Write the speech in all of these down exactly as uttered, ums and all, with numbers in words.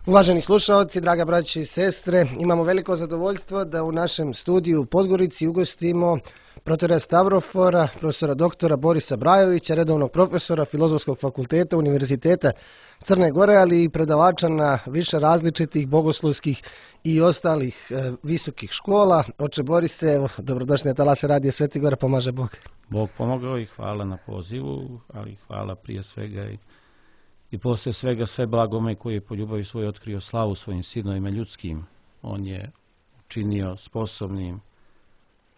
Uvaženi slušalci, draga braće i sestre, imamo veliko zadovoljstvo da u našem studiju u Podgorici ugostimo protora Stavrofora, profesora doktora Borisa Brajovića, redovnog profesora Filozofskog fakulteta Univerziteta Crne Gore, ali i predavača na više različitih bogoslovskih i ostalih e, visokih škola. Oče Borise, evo, dobrodošli na talase radija Sveti Gora, pomaže Bog. Bog pomogao i hvala na pozivu, ali hvala prije svega i I poslije svega sve blagome koji je po ljubavi svoj otkrio slavu svojim sinovima ljudskim. On je učinio sposobnim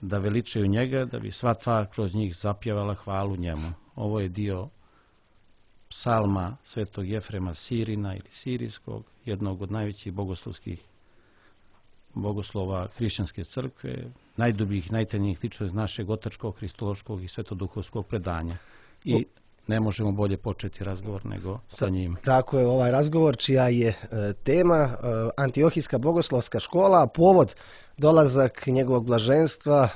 da veličaju njega, da bi sva tvar kroz njih zapjevala hvalu njemu. Ovo je dio psalma svetog Jefrema Sirina ili Sirijskog, jednog od najvećih bogoslovskih bogoslova hrišćanske crkve, najdubljih, najtajnijih ličeva iz našeg otačkog, kristološkog i svetoduhovskog predanja. I ne možemo bolje početi razgovor nego sa njim. Tako je, ovaj razgovor čija je e, tema e, Antiohijska bogoslovska škola, povod dolazak njegovog blaženstva, e,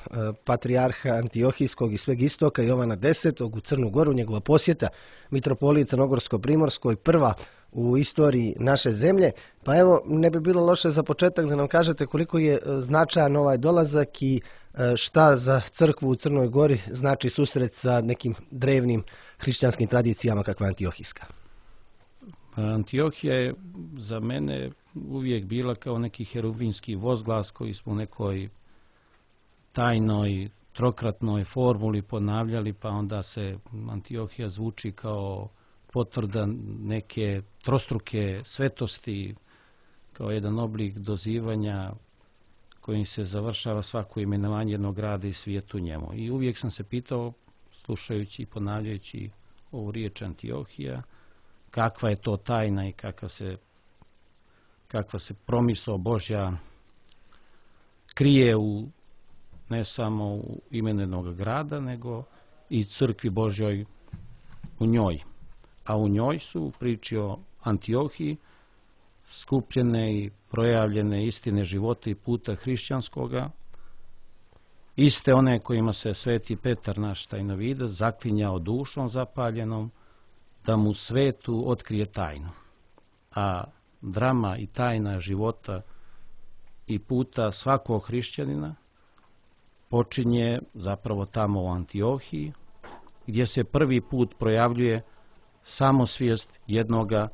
patrijarha Antiohijskog i sveg istoka Jovana desetog u Crnu Goru, njegova posjeta mitropoliji Crnogorsko-Primorskoj, prva u istoriji naše zemlje. Pa evo, ne bi bilo loše za početak da nam kažete koliko je značajan ovaj dolazak i šta za crkvu u Crnoj Gori znači susret sa nekim drevnim hrišćanskim tradicijama kakva je Antiohijska. Antiohija je za mene uvijek bila kao neki herubinski vozglas koji smo u nekoj tajnoj, trokratnoj formuli ponavljali, pa onda se Antiohija zvuči kao potvrda neke trostruke svetosti, kao jedan oblik dozivanja kojim se završava svako imenovanje jednog grada i svijetu njemu. I uvijek sam se pitao, slušajući i ponavljajući ovu riječ Antiohija, kakva je to tajna i kakva se, kakva se promisao Božja krije u, ne samo u imenu jednog grada, nego i crkvi Božjoj u njoj. A u njoj su u priči o Antiohiji skupljene i projavljene istine života i puta hrišćanskoga, iste one kojima se sveti Petar, naš tajnovidac, zaklinjao dušom zapaljenom da mu svetu otkrije tajnu. A drama i tajna života i puta svakog hrišćanina počinje zapravo tamo u Antiohiji, gdje se prvi put projavljuje samosvijest jednoga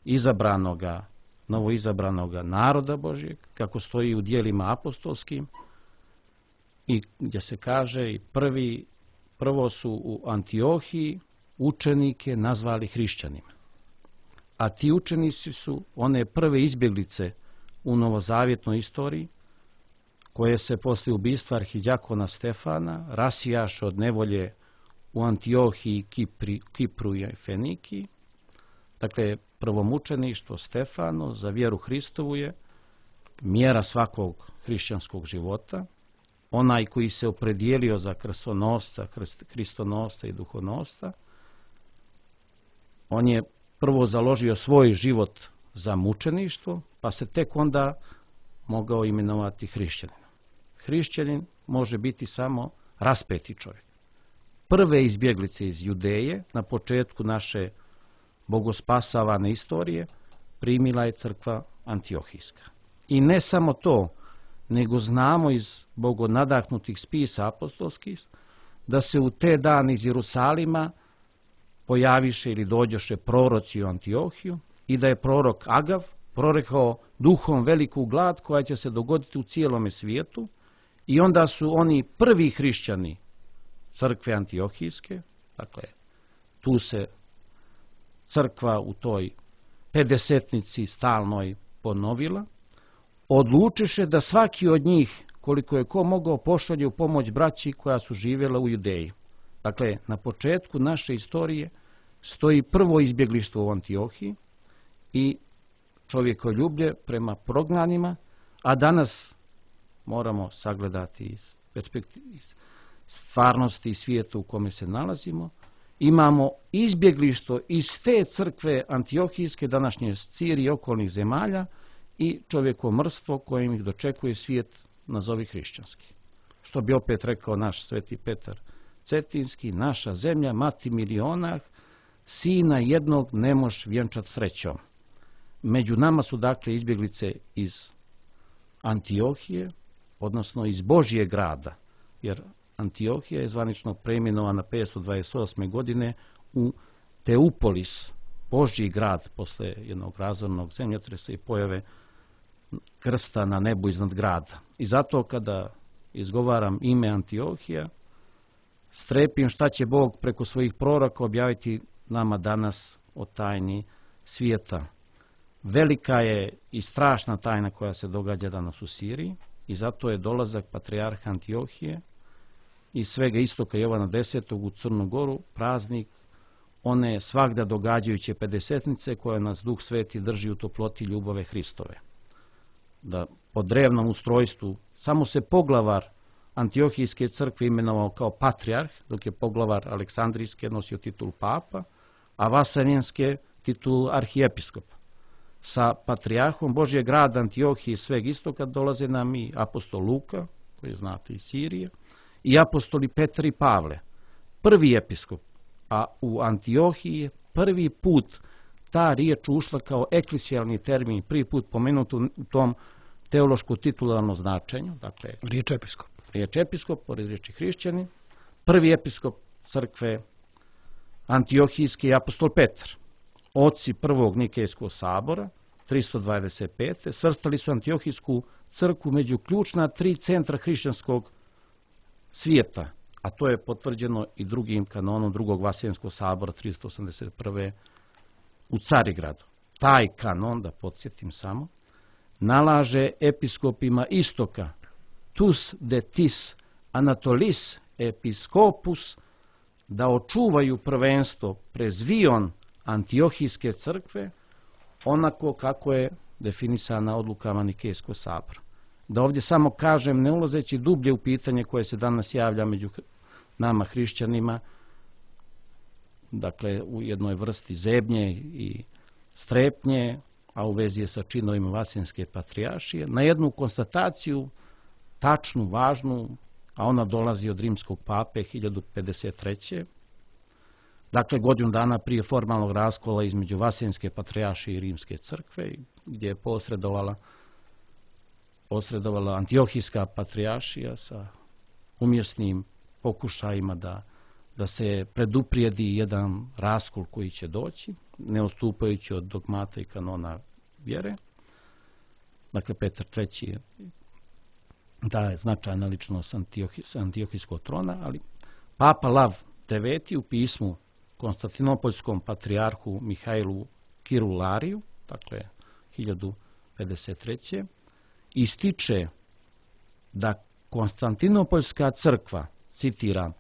izabranoga, novoizabranoga naroda Božjeg, kako stoji u dijelima apostolskim, i gdje se kaže i prvi, prvo su u Antiohiji učenike nazvali hrišćanima. A ti učenici su one prve izbjeglice u novozavjetnoj istoriji, koje se poslije ubistva arhidjakona Stefana rasijaše od nevolje u Antiohiji, Kipri, Kipru i Fenikiji. Dakle, prvomučeništvo Stefano za vjeru Hristovu je mjera svakog hrišćanskog života. Onaj koji se opredijelio za krstonosca, kristonosca i duhonosca, on je prvo založio svoj život za mučeništvo, pa se tek onda mogao imenovati hrišćanin. Hrišćanin može biti samo raspeti čovjek. Prve izbjeglice iz Judeje na početku naše bogospasavane istorije primila je crkva Antiohijska. I ne samo to, nego znamo iz bogonadahnutih spisa apostolskih da se u te dane iz Jerusalima pojaviše ili dođoše proroci u Antiohiju i da je prorok Agav prorekao duhom veliku glad koja će se dogoditi u cijelome svijetu, i onda su oni prvi hrišćani crkve Antiohijske, dakle tu se crkva u toj pedesetnici stalnoj ponovila, odlučiše da svaki od njih, koliko je ko mogao, pošalje u pomoć braći koja su živjela u Judeji. Dakle, na početku naše istorije stoji prvo izbjeglištvo u Antiohiji i čovjekoljublje prema prognanima, a danas moramo sagledati iz perspektive, iz stvarnosti i svijeta u kome se nalazimo, imamo izbjeglištvo iz te crkve Antiohijske, današnje Sirije i okolnih zemalja, i čovjekomrstvo kojim ih dočekuje svijet nazovi hrišćanski. Što bi opet rekao naš sveti Petar Cetinski, naša zemlja, mati milionah, sina jednog ne moš vjenčat srećom. Među nama su dakle izbjeglice iz Antiohije, odnosno iz Božjeg grada, jer Antiohija je zvanično preimenovana petsto dvadeset osme. godine u Teupolis, Božji grad, posle jednog razornog zemljotresa i pojave krsta na nebu iznad grada. I zato kada izgovaram ime Antiohija, strepim šta će Bog preko svojih proroka objaviti nama danas o tajni svijeta. Velika je i strašna tajna koja se događa danas u Siriji i zato je dolazak patrijarha Antiohije i svega istoka Jovana desetog u Crnu Goru praznik one svagda događajuće pedesetnice koje nas Duh Sveti drži u toploti ljubave Hristove. Da po drevnom ustrojstvu samo se poglavar Antiohijske crkve imenovao kao patrijarh, dok je poglavar Aleksandrijske nosio titul papa, a Vaseljenske titul arhijepiskopa. Sa patrijarhom Božjeg grada Antiohije i sveg istoka dolaze nam i apostol Luka, koji znate iz Sirije, i apostoli Petar i Pavle, prvi episkop, a u Antiohiji je prvi put ta riječ ušla kao eklesijalni termin, prvi put pomenut u tom teološko titularnom značenju, dakle riječ episkop. Riječ episkop, pored riječi hrišćanin, prvi episkop crkve Antiohijske je apostol Petar. Oci prvog Nikejskog sabora, tristo dvadeset pete. svrstali su Antiohijsku crkvu među ključna tri centra hrišćanskog svijeta, a to je potvrđeno i drugim kanonom drugog Vaseljenskog sabora tristo osamdeset prve. u Carigradu. Taj kanon, da podsjetim samo, nalaže episkopima istoka tus de tis Anatolis episkopus da očuvaju prvenstvo prezvion Antiohijske crkve onako kako je definisana odlukama Nikejskog sabora. Da ovdje samo kažem, ne ulazeći dublje u pitanje koje se danas javlja među nama hrišćanima, dakle u jednoj vrsti zebnje i strepnje, a u vezi je sa činovima Vaseljenske patrijaršije, na jednu konstataciju tačnu, važnu, a ona dolazi od rimskog pape hiljadu pedeset treće. Dakle, godinu dana prije formalnog raskola između Vaseljenske patrijaršije i Rimske crkve, gdje je posredovala, posredovala Antiohijska patrijaršija sa umjesnim pokušajima da, da se preduprijedi jedan raskol koji će doći, ne odstupajući od dogmata i kanona vjere. Dakle, Petar treći je da je značajna ličnost Antiohijskog trona, ali Papa Lav deveti u pismu Konstantinopoljskom patrijarhu Mihajlu Kirulariju, dakle hiljadu pedeset treće. ističe da Konstantinopoljska crkva, citiram,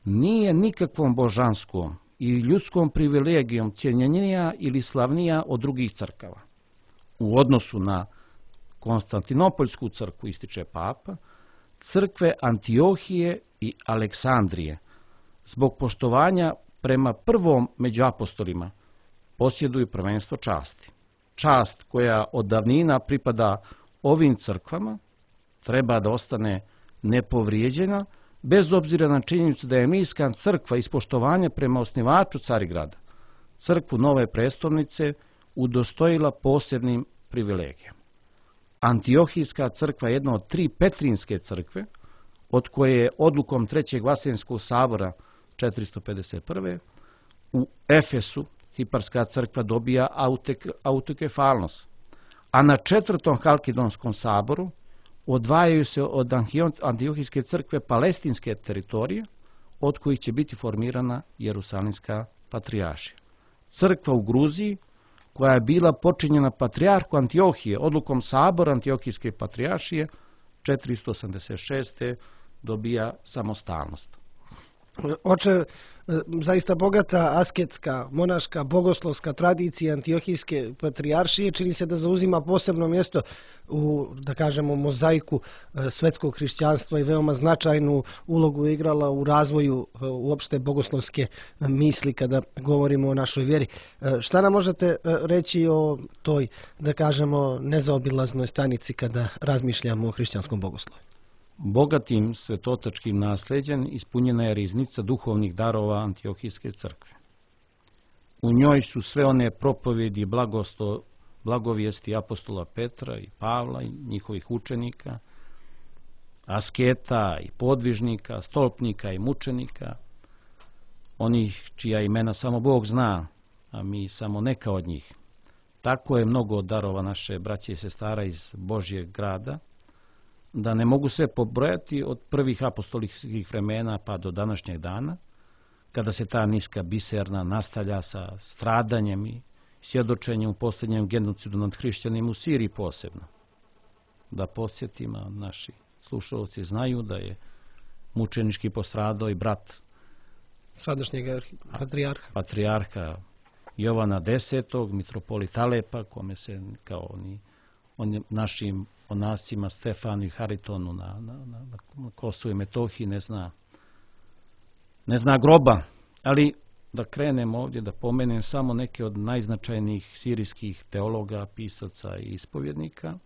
nije nikakvom božanskom i ljudskom privilegijom cijenjenija ili slavnija od drugih crkava. U odnosu na Konstantinopoljsku crkvu, ističe papa, crkve Antiohije i Aleksandrije, zbog poštovanja prema prvom među apostolima, posjeduju prvenstvo časti. Čast koja od davnina pripada ovim crkvama treba da ostane nepovrijeđena, bez obzira na činjenicu da je Emilijska crkva iz poštovanja prema osnivaču Carigrada, crkvu nove prestolnice, udostojila posebnim privilegijama. Antiohijska crkva je jedna od tri Petrinske crkve, od koje je odlukom trećeg Vaseljenskog sabora četiristo pedeset prve. u Efesu Hiparska crkva dobija autek, autokefalnost, a na četvrtom Halkidonskom saboru odvajaju se od Antiohijske crkve palestinske teritorije, od kojih će biti formirana Jerusalimska patrijaršija. Crkva u Gruziji, koja je bila počinjena patrijarhu Antiohije odlukom sabora Antiohijske patrijaršije, četiristo osamdeset šeste. dobija samostalnost. Oče, zaista bogata asketska, monaška, bogoslovska tradicija Antiohijske patrijaršije čini se da zauzima posebno mjesto u, da kažemo, mozaiku svetskog hrišćanstva i veoma značajnu ulogu je igrala u razvoju uopšte bogoslovske misli kada govorimo o našoj vjeri. Šta nam možete reći o toj, da kažemo, nezaobilaznoj stanici kada razmišljamo o hrišćanskom bogoslovu? Bogatim svetotačkim nasljeđem ispunjena je riznica duhovnih darova Antiohijske crkve. U njoj su sve one propovjedi blagoslovne blagovijesti apostola Petra i Pavla i njihovih učenika, asketa i podvižnika, stolpnika i mučenika, onih čija imena samo Bog zna, a mi samo neka od njih. Tako je mnogo darova naše braće i sestara iz Božjeg grada, da ne mogu sve pobrojati od prvih apostolskih vremena pa do današnjeg dana, kada se ta niska biserna nastavlja sa stradanjem i svjedočenjem u posljednjem genocidu nad hrišćanima u Siriji posebno. Da podsjetimo, naši slušalci znaju da je mučenički postradao i brat sadašnjeg patrijarha. patrijarha Jovana desetog, mitropolit Alepa, kome se kao oni, on našim onasima Stefanu i Haritonu na, na, na, na Kosovu i Metohiji ne zna, ne zna groba. Ali da krenem ovdje, da pomenem samo neke od najznačajnijih sirijskih teologa, pisaca i ispovjednika,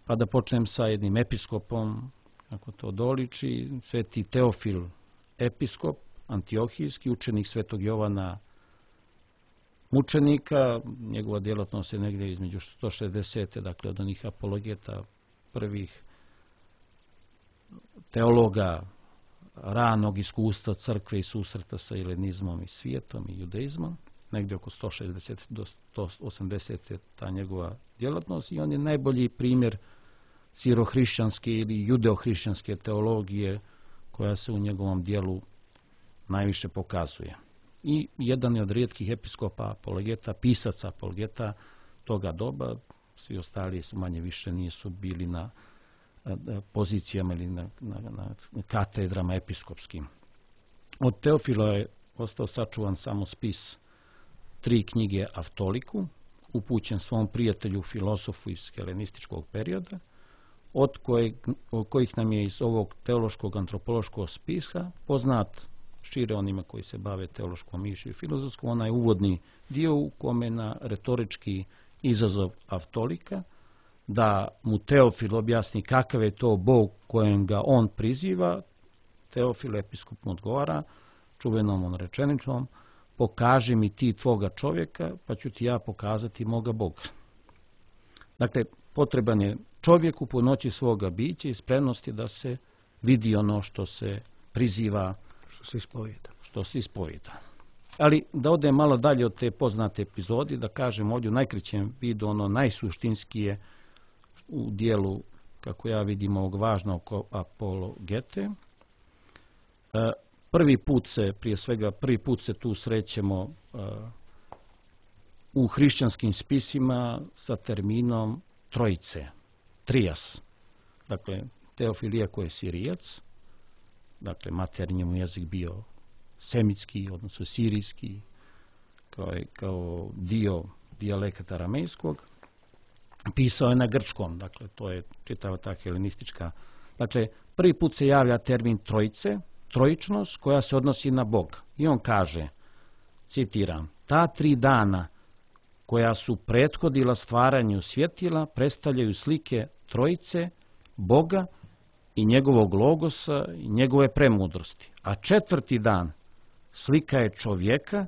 pa da počnem sa jednim episkopom, kako to doliči, sveti Teofil episkop, antiohijski, učenik svetog Jovana mučenika. Njegova djelatnost je negdje između sto šezdeset. dakle od onih apologeta, prvih teologa ranog iskustva crkve i susreta sa helenizmom i svijetom i judaizmom, negdje oko sto šezdeset do sto osamdeset je ta njegova djelatnost i on je najbolji primjer sirohrišćanske ili judeohrišćanske teologije koja se u njegovom dijelu najviše pokazuje. I jedan je od rijetkih episkopa apologeta, pisaca apologeta toga doba. Svi ostali su manje više nisu bili na pozicijama ili na, na, na katedrama episkopskim. Od Teofila je ostao sačuvan samo spis tri knjige Aftoliku, upućen svom prijatelju filosofu iz helenističkog perioda, od kojeg, kojih nam je iz ovog teološkog antropološkog spisa poznat šire onima koji se bave teološkom mišlju i filozofskom, onaj uvodni dio u kome na retorički izazov Aftolika, da mu Teofil objasni kakav je to Bog kojem ga on priziva, Teofil episkop mu odgovara čuvenom on rečeničnom: pokaži mi ti tvoga čovjeka, pa ću ti ja pokazati moga Boga. Dakle, potreban je čovjek u punoći svoga bića i spremnosti da se vidi ono što se priziva, što se ispovijeda. Što se ispovijeda. Ali da odem malo dalje od te poznate epizode, da kažem ovdje u najkraćem vidu ono najsuštinskije u dijelu, kako ja vidim, ovog važnog apologete. Prvi put se, prije svega, prvi put se tu srećemo u hrišćanskim spisima sa terminom trojice, trijas. Dakle, Teofil, iako je Sirijac, dakle, materinji mu jezik bio semitski, odnosno sirijski, kao, kao dio dijalekta aramejskog, pisao je na grčkom, dakle, to je čitava ta helenistička. Dakle, prvi put se javlja termin trojice, trojičnost, koja se odnosi na Boga. I on kaže, citiram: ta tri dana koja su prethodila stvaranju svjetila predstavljaju slike trojice, Boga i njegovog logosa i njegove premudrosti. A četvrti dan slika je čovjeka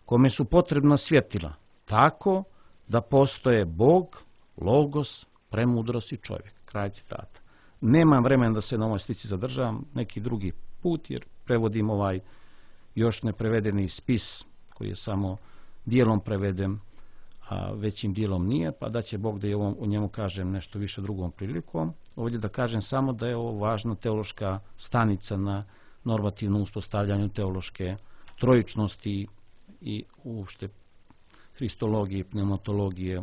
kome su potrebna svjetila, tako da postoje Bog, logos, premudrost i čovjek. Kraj citata. Nemam vremena da se na ovoj slici zadržavam, neki drugi put, jer prevodim ovaj još neprevedeni spis koji je samo dijelom preveden, a većim dijelom nije, pa da će Bog da je ovom, o njemu kažem nešto više drugom prilikom. Ovdje da kažem samo da je ovo važna teološka stanica na normativnom uspostavljanju teološke trojičnosti i uopšte hristologije, pneumatologije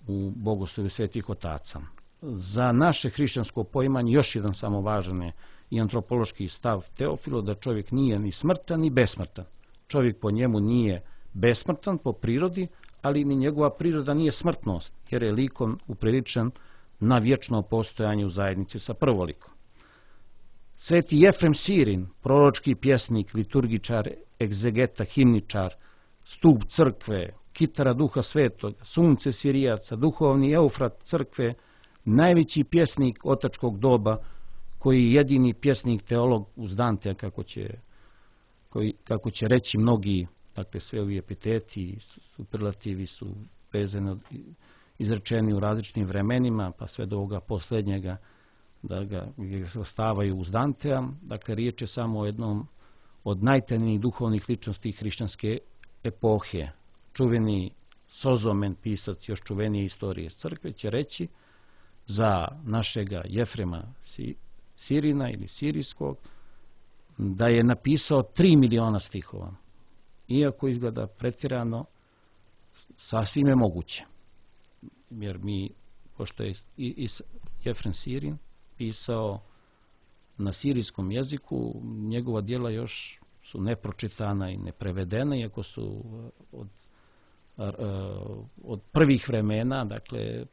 u bogoslovlju svetih otaca. Za naše hrišćansko poimanje još jedan samo važan je i antropološki stav Teofilo, da čovjek nije ni smrtan ni besmrtan. Čovjek po njemu nije besmrtan po prirodi, ali ni njegova priroda nije smrtnost, jer je likom upriličen na vječno postojanje u zajednici sa prvolikom. Sveti Jefrem Sirin, proročki pjesnik, liturgičar, egzegeta, himničar, stup crkve, kitara Duha Svetog, sunce Sirijaca, duhovni Eufrat crkve, najveći pjesnik otačkog doba, koji je jedini pjesnik teolog uz Dantea, kako će, koji, kako će reći mnogi, dakle sve ovi epiteti, superlativi su vezano, izrečeni u različitim vremenima, pa sve do ovoga posljednjega, da ga, ga se ostavaju uz Dantea. Dakle, riječ je samo o jednom od najtemnijih duhovnih ličnosti hrišćanske epohe. Čuveni Sozomen, pisac još čuvenije istorije crkve, će reći za našega Jefrema Sirina ili Sirijskog da je napisao tri miliona stihova. Iako izgleda pretjerano, sasvim je moguće. Jer mi, pošto je i Jefrem Sirin pisao na sirijskom jeziku, njegova djela još su nepročitana i neprevedena, iako su od, od prvih vremena, dakle,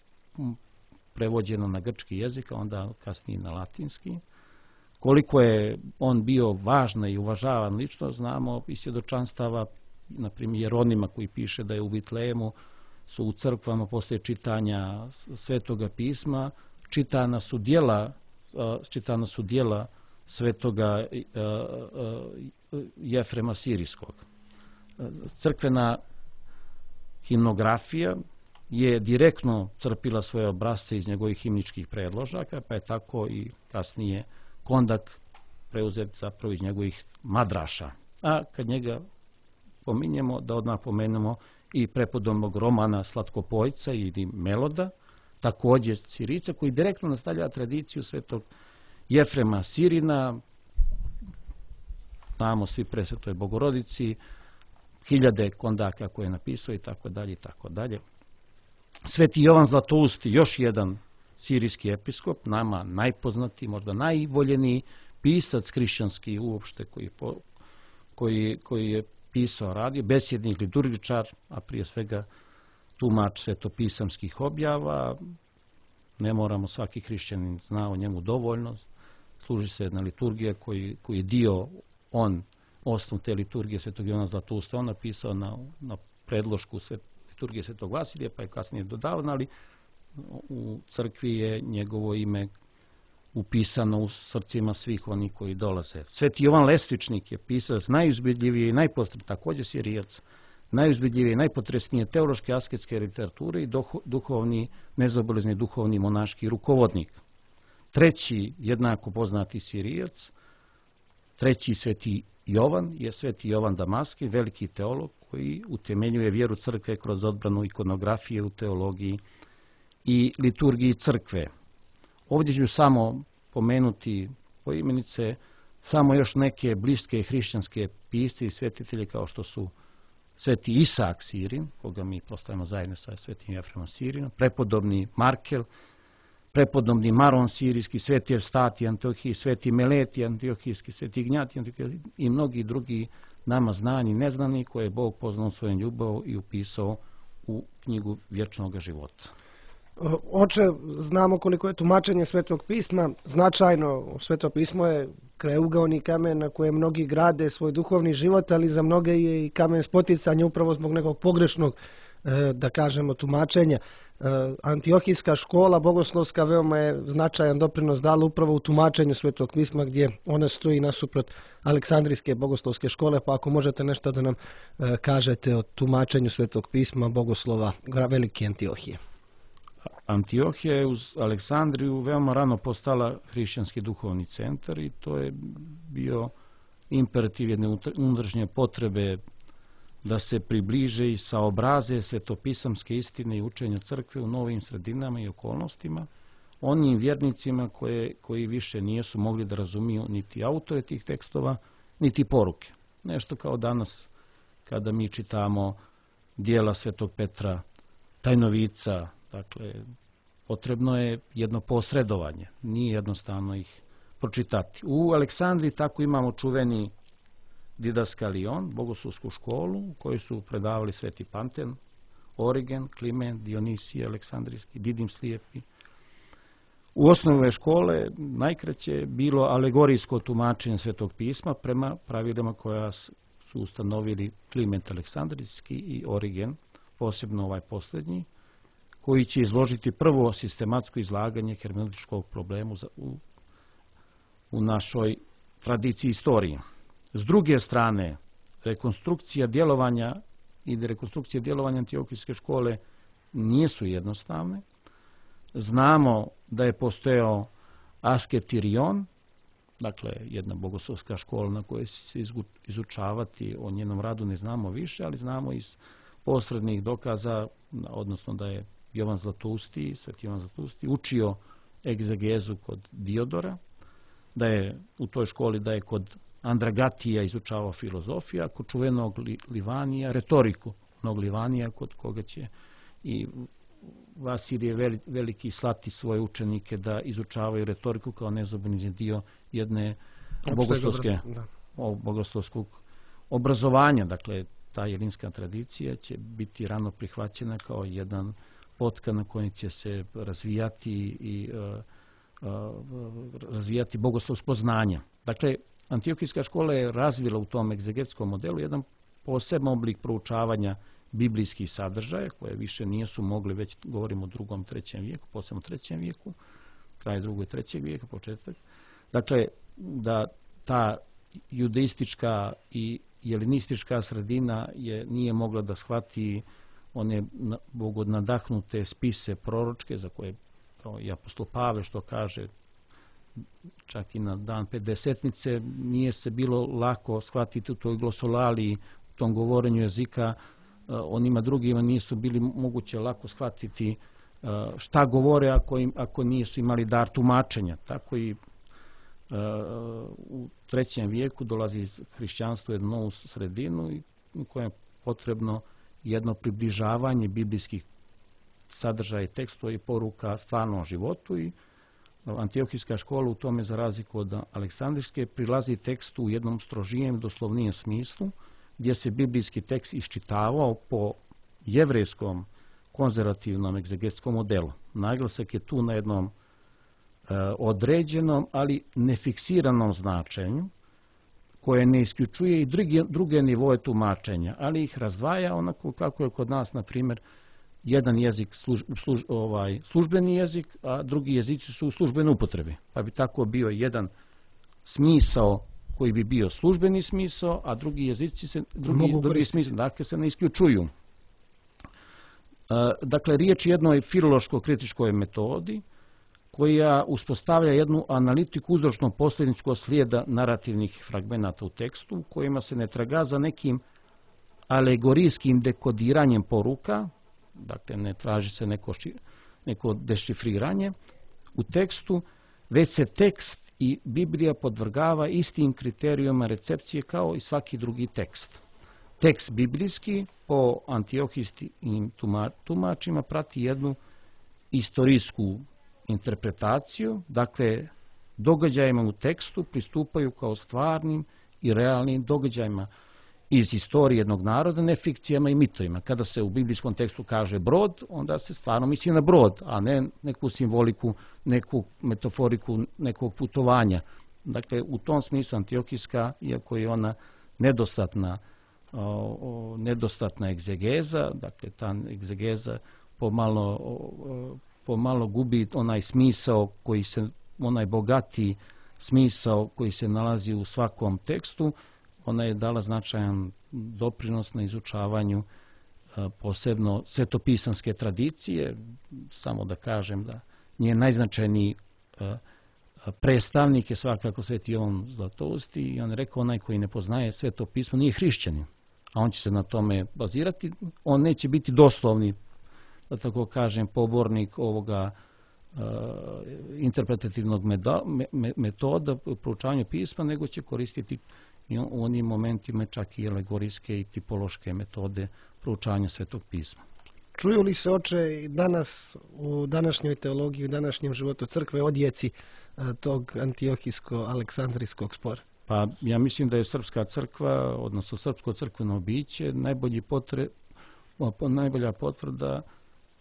prevođeno na grčki jezik, a onda kasnije na latinski. Koliko je on bio važna i uvažavan lično, znamo iz svjedočanstava, na primjer Jeronima koji piše da je u Vitlejemu su u crkvama poslije čitanja Svetoga pisma čitana su djela, čitana su djela Svetoga Jefrema Sirijskog. Crkvena himnografija je direktno crpila svoje obrazce iz njegovih himničkih predložaka, pa je tako i kasnije Kondak preuzet zapravo iz njegovih madraša. A kad njega pominjemo, da odmah pomenemo i prepodobnog Romana Slatkopojca ili Meloda, također Sirica, koji direktno nastavlja tradiciju svetog Jefrema Sirina, znamo svi presvetoj Bogorodici, hiljade kondaka koje je napisao i tako dalje i tako dalje. Sveti Jovan Zlatousti, još jedan sirijski episkop, nama najpoznatiji, možda najvoljeniji pisac hrišćanski uopšte koji, po, koji, koji je pisao, radio, besjednik, liturgičar, a prije svega tumač svetopisamskih objava. Ne moramo, svaki hrišćanin zna o njemu dovoljno. Služi se jedna liturgija koji, koji je dio, on, osnov te liturgije svetog Jovana Zlatousta, on napisao na, na predlošku svet, liturgije svetog Vasilija, pa je kasnije dodavan, ali u crkvi je njegovo ime upisano u srcima svih onih koji dolaze. Sveti Jovan Lestvičnik je pisac najuzbudljivije i najpotresnije, također Sirijac, najuzbudljivije i najpotresnije teološke asketske literature i duhovni, nezaobilazni duhovni monaški rukovodnik. Treći, jednako poznati Sirijac, treći sveti Jovan je sveti Jovan Damaski, veliki teolog koji utemeljuje vjeru crkve kroz odbranu ikonografije u teologiji i liturgiji crkve. Ovdje ću samo pomenuti poimenice samo još neke bliske hrišćanske pisce i svetitelje kao što su sveti Isak Sirin, koga mi postavimo zajedno sa svetim Jefremom Sirinom, prepodobni Markel, prepodobni Maron Sirijski, sveti Evstati Antiohiji, sveti Meleti Antiohijski, sveti Ignjati Antiohijski i mnogi drugi nama znani i neznani koje je Bog poznao svojom ljubavom i upisao u knjigu vječnog života. Oče, znamo koliko je tumačenje Svetog pisma značajno. Sveto pismo je krajeугаoni kamen na kojem mnogi grade svoj duhovni život, ali za mnoge je i kamen spoticanja upravo zbog nekog pogrešnog, da kažemo, tumačenja. Antiohijska škola bogoslovska veoma je značajan doprinos dala upravo u tumačenju Svetog pisma, gdje ona stoji nasuprot Aleksandrijske bogoslovske škole, pa ako možete nešto da nam kažete o tumačenju Svetog pisma bogoslova Velike Antiohije. Antiohija je uz Aleksandriju veoma rano postala hrišćanski duhovni centar i to je bio imperativ jedne unutrašnje potrebe da se približe i saobraze svetopisamske istine i učenja crkve u novim sredinama i okolnostima, onim vjernicima koje, koji više nijesu mogli da razumiju niti autore tih tekstova, niti poruke. Nešto kao danas kada mi čitamo dijela svetog Petra Tajnovica. Dakle, potrebno je jedno posredovanje, nije jednostavno ih pročitati. U Aleksandriji tako imamo čuveni Didaskalion, bogoslovsku školu u kojoj su predavali sveti Panten, Origen, Kliment, Dionisije, Aleksandrijski, Didim Slijepi. U osnovne škole najkraće je bilo alegorijsko tumačenje Svetog pisma prema pravilima koja su ustanovili Kliment Aleksandrijski i Origen, posebno ovaj posljednji, koji će izložiti prvo sistematsko izlaganje hermeneutičkog problemu u, u našoj tradiciji istoriji. S druge strane, rekonstrukcija djelovanja i rekonstrukcija djelovanja Antiohijske škole nisu jednostavne. Znamo da je postojao Asketirion, dakle jedna bogoslovska škola na kojoj će se izučavati, o njenom radu ne znamo više, ali znamo iz posrednih dokaza, odnosno da je Jovan Zlatousti, Sveti Jovan Zlatousti, učio egzegezu kod Diodora, da je u toj školi da je kod Andragatija izučavao filozofiju, a kod čuvenog Livanija retoriku, onog Livanija kod koga će i Vasilije Veliki slati svoje učenike da izučavaju retoriku kao nezobeni dio jedne bogoslovske, bogoslovskog obrazovanja. Dakle, ta jelinska tradicija će biti rano prihvaćena kao jedan potka na kojem će se razvijati i uh, uh, razvijati bogoslovsko znanje. Dakle, Antiohijska škola je razvila u tom egzegetskom modelu jedan poseban oblik proučavanja biblijskih sadržaja, koje više nisu mogli, već govorimo o drugom, trećem vijeku, posebno trećem vijeku, kraj drugog i trećeg vijeka, početak. Dakle, da ta judeistička i jelenistička sredina je, nije mogla da shvati one bogonadahnute spise proročke, za koje i apostol Pavle što kaže, čak i na dan Pedesetnice, nije se bilo lako shvatiti u toj glosolaliji, u tom govorenju jezika, onima drugima nisu bili moguće lako shvatiti šta govore ako, im, ako nisu imali dar tumačenja. Tako i u trećem vijeku dolazi hrišćanstvo u jednu novu sredinu i u kojem je potrebno jedno približavanje biblijskih sadržaja i tekstova i poruka stvarnom životu, i Antiohijska škola u tome, za razliku od Aleksandrijske, prilazi tekstu u jednom strožijem, doslovnijem smislu, gdje se biblijski tekst iščitavao po jevrejskom konzervativnom egzegetskom modelu. Naglasak je tu na jednom e, određenom, ali nefiksiranom značenju, koje ne isključuje i druge, druge nivoje tumačenja, ali ih razdvaja onako kako je kod nas, na primjer, jedan jezik služ, služ, ovaj, službeni jezik, a drugi jezici su u službenoj upotrebi. Pa bi tako bio jedan smisao koji bi bio službeni smisao, a drugi jezici se, drugi, drugi smisao, dakle, se ne isključuju. Dakle, riječ je jednoj filološko-kritičkoj metodi koja uspostavlja jednu analitiku uzročno-posljedičkog slijeda narativnih fragmenata u tekstu, u kojima se ne traga za nekim alegorijskim dekodiranjem poruka, dakle ne traži se neko, neko dešifriranje u tekstu, već se tekst i Biblija podvrgava istim kriterijima recepcije kao i svaki drugi tekst. Tekst biblijski po antiohijskim tumačima prati jednu istorijsku interpretaciju, dakle događajima u tekstu pristupaju kao stvarnim i realnim događajima iz istorije jednog naroda, ne fikcijama i mitovima. Kada se u biblijskom tekstu kaže brod, onda se stvarno misli na brod, a ne neku simboliku, neku metaforiku nekog putovanja. Dakle, u tom smislu Antiohijska, iako je ona nedostatna, o, o, nedostatna egzegeza, dakle ta egzegeza pomalo, o, pomalo gubi onaj smisao koji se, onaj bogati smisao koji se nalazi u svakom tekstu, ona je dala značajan doprinos na izučavanju posebno svetopisanske tradicije. Samo da kažem da njen najznačajniji predstavnik je svakako Sveti Jovan Zlatousti, i on je rekao, onaj koji ne poznaje Sveto pismo nije hrišćanin, a on će se na tome bazirati. On neće biti doslovni, da tako kažem, pobornik ovoga uh, interpretativnog metoda, metoda proučavanja pisma, nego će koristiti i u onim momentima čak i alegorijske i tipološke metode proučavanja Svetog pisma. Čuju li se, oče, danas u današnjoj teologiji, u današnjem životu crkve odjeci tog antiohijsko-aleksandrijskog spora? Pa ja mislim da je srpska crkva, odnosno srpsko crkveno biće, najbolji potre, najbolja potvrda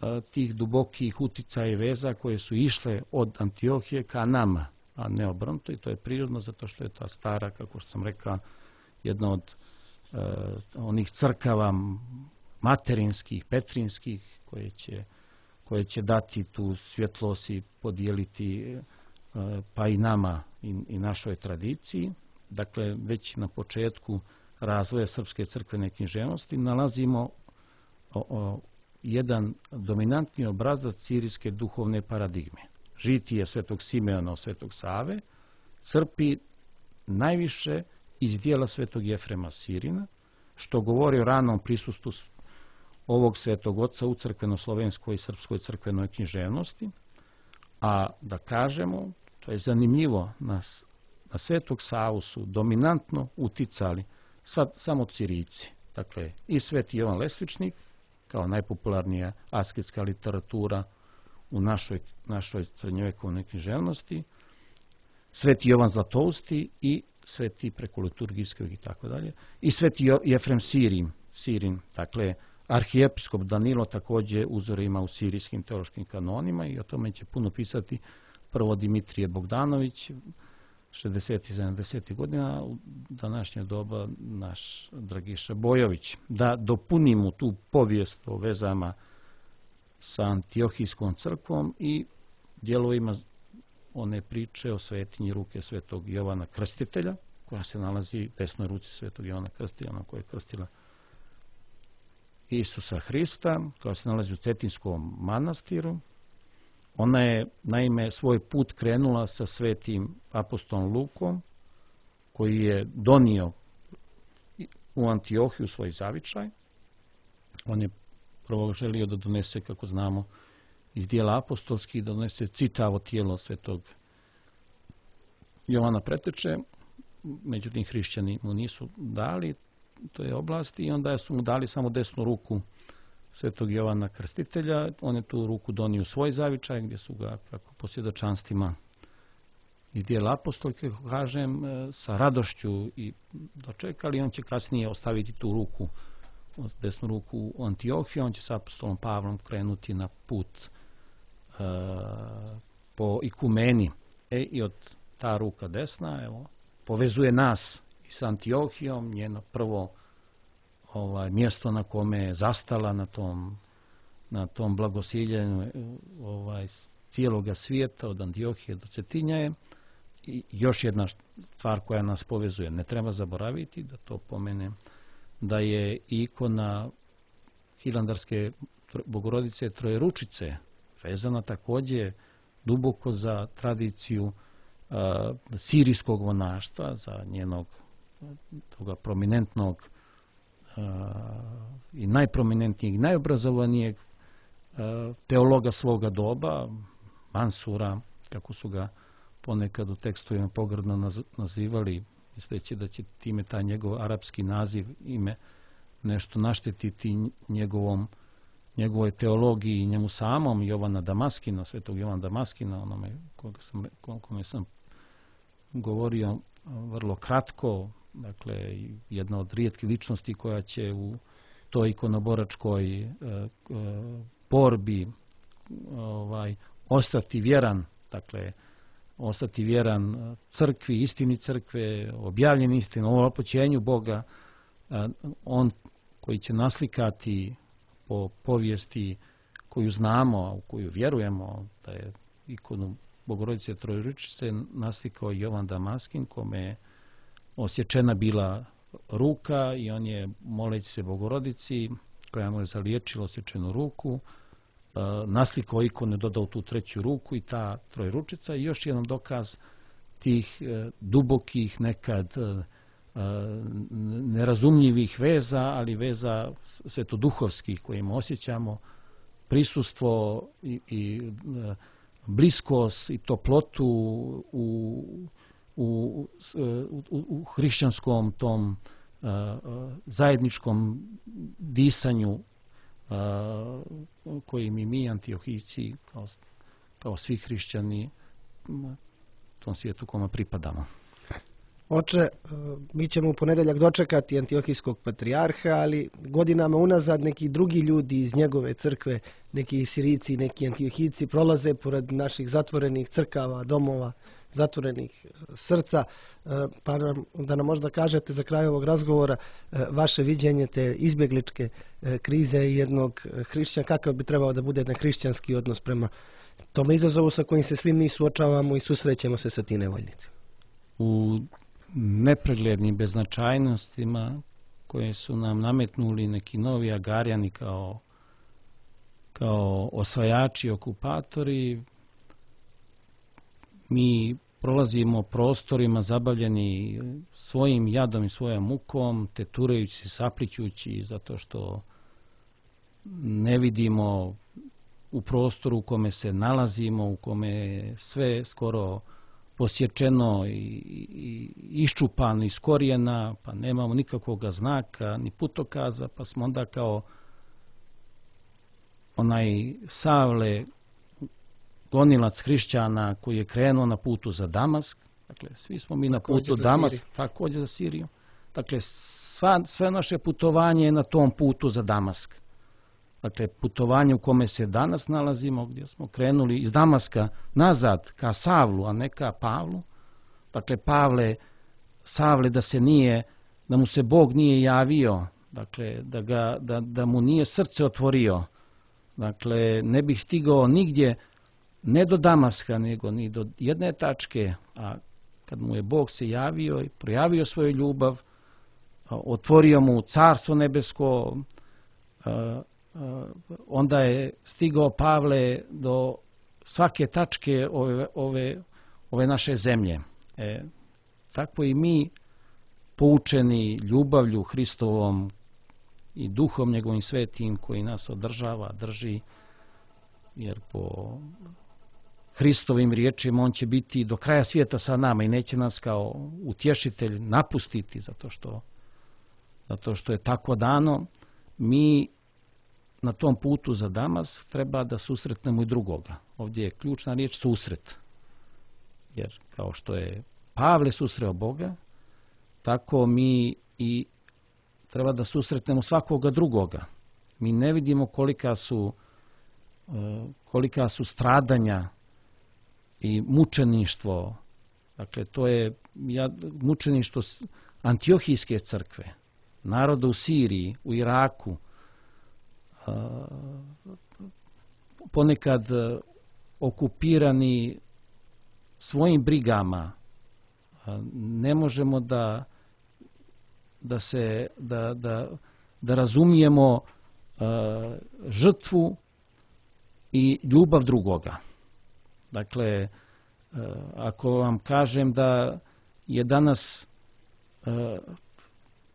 a, tih dubokih uticaja i veza koje su išle od Antiohije ka nama, a ne obrnuto, i to je prirodno zato što je ta stara, kako što sam rekao, jedna od e, onih crkava materinskih, petrinskih, koje će, koje će dati tu svjetlost i podijeliti e, pa i nama i, i našoj tradiciji. Dakle, već na početku razvoja srpske crkvene književnosti nalazimo o, o, jedan dominantni obrazac sirijske duhovne paradigme. Žitije svetog Simeona, svetog Save, crpi najviše iz dijela svetog Jefrema Sirina, što govori o ranom prisustvu ovog svetog oca u crkveno-slovenskoj i srpskoj crkvenoj književnosti, a da kažemo, to je zanimljivo, na, na svetog Savu su dominantno uticali sad samo Sirijci. Dakle, i sveti Jovan Lesvičnik, kao najpopularnija asketska literatura u našoj, našoj srednjovekovnoj književnosti, sveti Jovan Zlatousti i sveti preko liturgijskog i tako dalje, i sveti Jefrem Sirin, Sirin, dakle, arhijepiskop Danilo također uzore ima u sirijskim teološkim kanonima i o tome će puno pisati prvo Dimitrije Bogdanović, šezdesetih sedamdesetih godina, u današnje doba naš Dragiša Bojović. Da dopunimo tu povijest o vezama sa Antiohijskom crkvom i dijelovima one priče o svetinji ruke svetog Jovana Krstitelja, koja se nalazi u desnoj ruci svetog Jovana Krstitelja, ona koja je krstila Isusa Hrista, koja se nalazi u Cetinskom manastiru. Ona je, naime, svoj put krenula sa svetim apostolom Lukom, koji je donio u Antiohiju svoj zavičaj. On je prvo želio da donese, kako znamo, iz dijela apostolskih, da donese čitavo tijelo svetog Jovana Preteče. Međutim, hrišćani mu nisu dali toj oblasti i onda su mu dali samo desnu ruku svetog Jovana Krstitelja. On je tu ruku donio u svoj zavičaj, gdje su ga, kako po svjedočanstvima iz dijela apostolke, kažem, sa radošću i dočekali. On će kasnije ostaviti tu ruku, desnu ruku u Antiohiju. On će sa apostolom Pavlom krenuti na put e, po ikumeni. E, i od ta ruka desna, evo, povezuje nas i s Antiohijom, njeno prvo ovaj, mjesto na kome je zastala na tom, na tom blagosiljenju ovaj, cijeloga svijeta od Antiohije do Cetinja je. I još jedna stvar koja nas povezuje, ne treba zaboraviti da to pomenem, da je ikona Hilandarske Bogorodice Trojeručice vezana također duboko za tradiciju uh, sirijskog monaštva, za njenog toga prominentnog uh, i najprominentnijeg, najobrazovanijeg uh, teologa svoga doba, Mansura, kako su ga ponekad u tekstovima pogrdno nazivali, misleći da će time taj njegov arapski naziv, ime, nešto naštetiti njegovom, njegovoj teologiji i njemu samom, Jovana Damaskina, svetog Jovana Damaskina, onome koga sam, kome sam govorio vrlo kratko, dakle, jedna od rijetkih ličnosti koja će u toj ikonoboračkoj e, e, borbi ovaj, ostati vjeran, dakle, ostati vjeran crkvi, istini crkve, objavljeni istinu, o opoćenju Boga, on koji će naslikati po povijesti koju znamo, u koju vjerujemo, da je ikonu Bogorodice Trojeručice naslikao Jovan Damaskin, kome je osječena bila ruka i on je, moleći se Bogorodici, koja mu je zaliječila osječenu ruku, naslikao ikonu, dodao tu treću ruku i ta trojeručica i još jedan dokaz tih dubokih, nekad nerazumljivih veza, ali veza svetoduhovskih kojima osjećamo prisustvo i, i bliskost i toplotu u, u, u, u hrišćanskom tom zajedničkom disanju koji mi mi Antiohijci kao, kao svi hrišćani tom svijetu kome pripadamo. Oče, mi ćemo u ponedjeljak dočekati Antiohijskog patrijarha, ali godinama unazad neki drugi ljudi iz njegove crkve, neki Sirijci, neki Antiohijci prolaze pored naših zatvorenih crkava, domova, zatvorenih srca, pa nam, da nam možda kažete za kraj ovog razgovora vaše viđenje te izbjegličke krize jednog hrišćana, kakav bi trebao da bude jedan hrišćanski odnos prema tome izazovu sa kojim se svi mi suočavamo i susrećemo se sa tim nevoljnicima. U nepreglednim beznačajnostima koje su nam nametnuli neki novi Agarijani kao kao osvajači, okupatori, mi prolazimo prostorima zabavljeni svojim jadom i svojom mukom, teturajući, saplićući, zato što ne vidimo u prostoru u kome se nalazimo, u kome je sve skoro posječeno i, i iščupano iz korijena, pa nemamo nikakvog znaka, ni putokaza, pa smo onda kao onaj Savle, gonilac hrišćana koji je krenuo na putu za Damask. Dakle, svi smo mi na putu Damask, također za Siriju. Dakle, sva, sve naše putovanje je na tom putu za Damask. Dakle, putovanje u kome se danas nalazimo, gdje smo krenuli iz Damaska nazad ka Savlu, a ne ka Pavlu. Dakle, Pavle, Savle da se nije, da mu se Bog nije javio, dakle, da, ga, da, da mu nije srce otvorio. Dakle, ne bih stigao nigdje, ne do Damaska, nego ni do jedne tačke, a kad mu je Bog se javio i projavio svoju ljubav, otvorio mu carstvo nebesko, onda je stigao Pavle do svake tačke ove, ove, ove naše zemlje. E, tako i mi, poučeni ljubavlju Hristovom i duhom njegovim svetim koji nas održava, drži, jer po Hristovim riječima on će biti do kraja svijeta sa nama i neće nas kao utješitelj napustiti zato što, zato što je tako dano. Mi na tom putu za Damask treba da susretnemo i drugoga. Ovdje je ključna riječ susret. Jer kao što je Pavle susreo Boga, tako mi i treba da susretnemo svakoga drugoga. Mi ne vidimo kolika su, kolika su stradanja i mučeništvo. Dakle, to je mučeništvo Antiohijske crkve, naroda u Siriji, u Iraku, ponekad okupirani svojim brigama. Ne možemo da da se da, da, da razumijemo žrtvu i ljubav drugoga. Dakle, ako vam kažem da je danas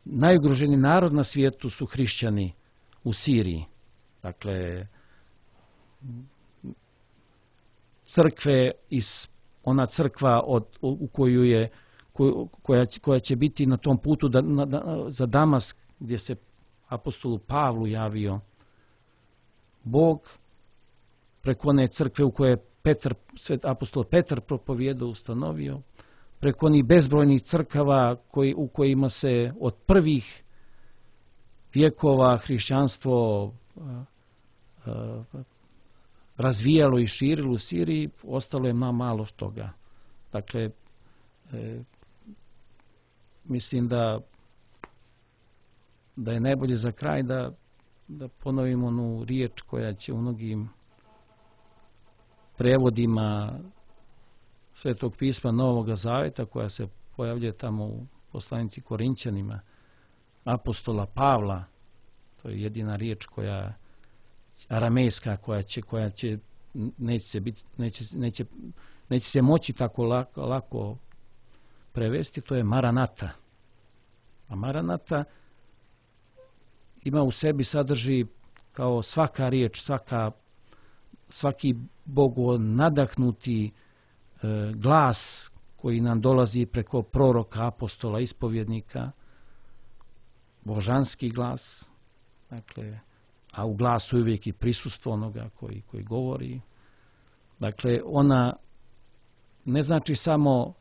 najugroženiji narod na svijetu su hrišćani u Siriji. Dakle, crkve iz ona crkva od, u koju je koja, koja će biti na tom putu da, na, na, za Damask, gdje se apostolu Pavlu javio Bog, preko one crkve u kojoj je Petar, svet apostol Petar propovijedao, ustanovio, preko onih bezbrojnih crkava koji, u kojima se od prvih vjekova hrišćanstvo uh, uh, razvijalo i širilo u Siriji, ostalo je malo toga. Dakle, e, mislim da da je najbolje za kraj da, da ponovimo onu riječ koja će u mnogim prevodima Svetog pisma Novog Zaveta, koja se pojavljuje tamo u poslanici Korinćanima, apostola Pavla, to je jedina riječ koja aramejska, koja će, koja će neće se biti, neće, neće, neće se moći tako lako, lako prevesti, to je Maranata. A Maranata ima u sebi, sadrži kao svaka riječ, svaka, svaki Bogu nadahnuti e, glas koji nam dolazi preko proroka, apostola, ispovjednika, božanski glas, dakle, a u glasu je uvijek i prisustvo onoga koji, koji govori. Dakle, ona ne znači samo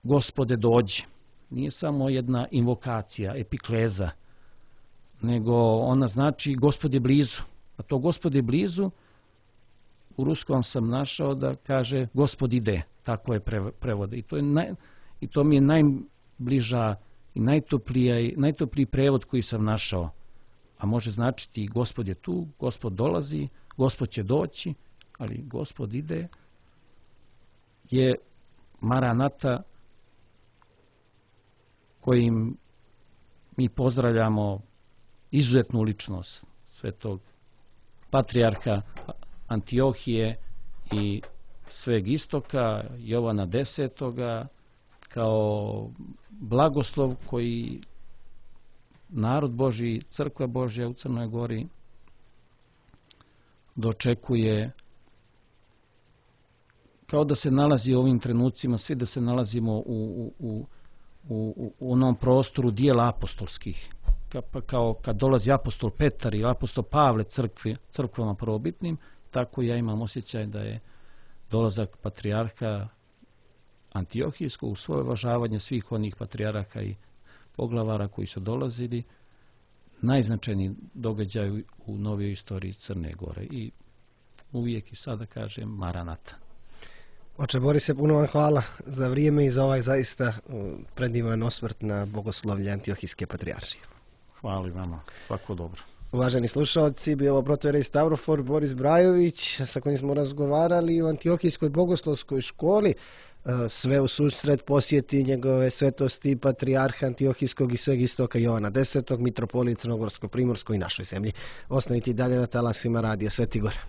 Gospode dođi, nije samo jedna invokacija, epikleza, nego ona znači Gospod je blizu. A to Gospod je blizu, u ruskom sam našao da kaže Gospod ide, tako je prevode. I to, je naj, i to mi je najbliža i najtopliji, najtopliji prevod koji sam našao. A može značiti Gospod je tu, Gospod dolazi, Gospod će doći, ali Gospod ide je Maranata kojim mi pozdravljamo izuzetnu ličnost svetog patrijarha Antiohije i sveg istoka, Jovana desetoga, kao blagoslov koji narod Božji, crkva Božja u Crnoj Gori dočekuje, kao da se nalazi u ovim trenucima, svi da se nalazimo u, u, u, u, u onom prostoru dijela apostolskih. Kao, kao kad dolazi apostol Petar i apostol Pavle crkvi, crkvama prvobitnim, tako ja imam osjećaj da je dolazak patrijarha Antiohijskog u svoje uvažavanje svih onih patrijarha i poglavara koji su dolazili, najznačajniji događaj u novijoj istoriji Crne Gore. I uvijek i sada kažem Maranata. Oče Borise, puno vam hvala za vrijeme i za ovaj zaista predivan osvrt na bogoslovlje Antiohijske patrijaršije. Hvala i vama. Svako dobro. Uvaženi slušalci, bio ovo protojerej Stavrofor Boris Brajović, sa kojim smo razgovarali o Antiohijskoj bogoslovskoj školi. Sve u susret posjeti njegove svetosti patrijarha Antiohijskog i sveg istoka Jovana desetog, mitropolit Crnogorsko-Primorsko i našoj zemlji. Ostanite i dalje na talasima Radija Sveti Gora.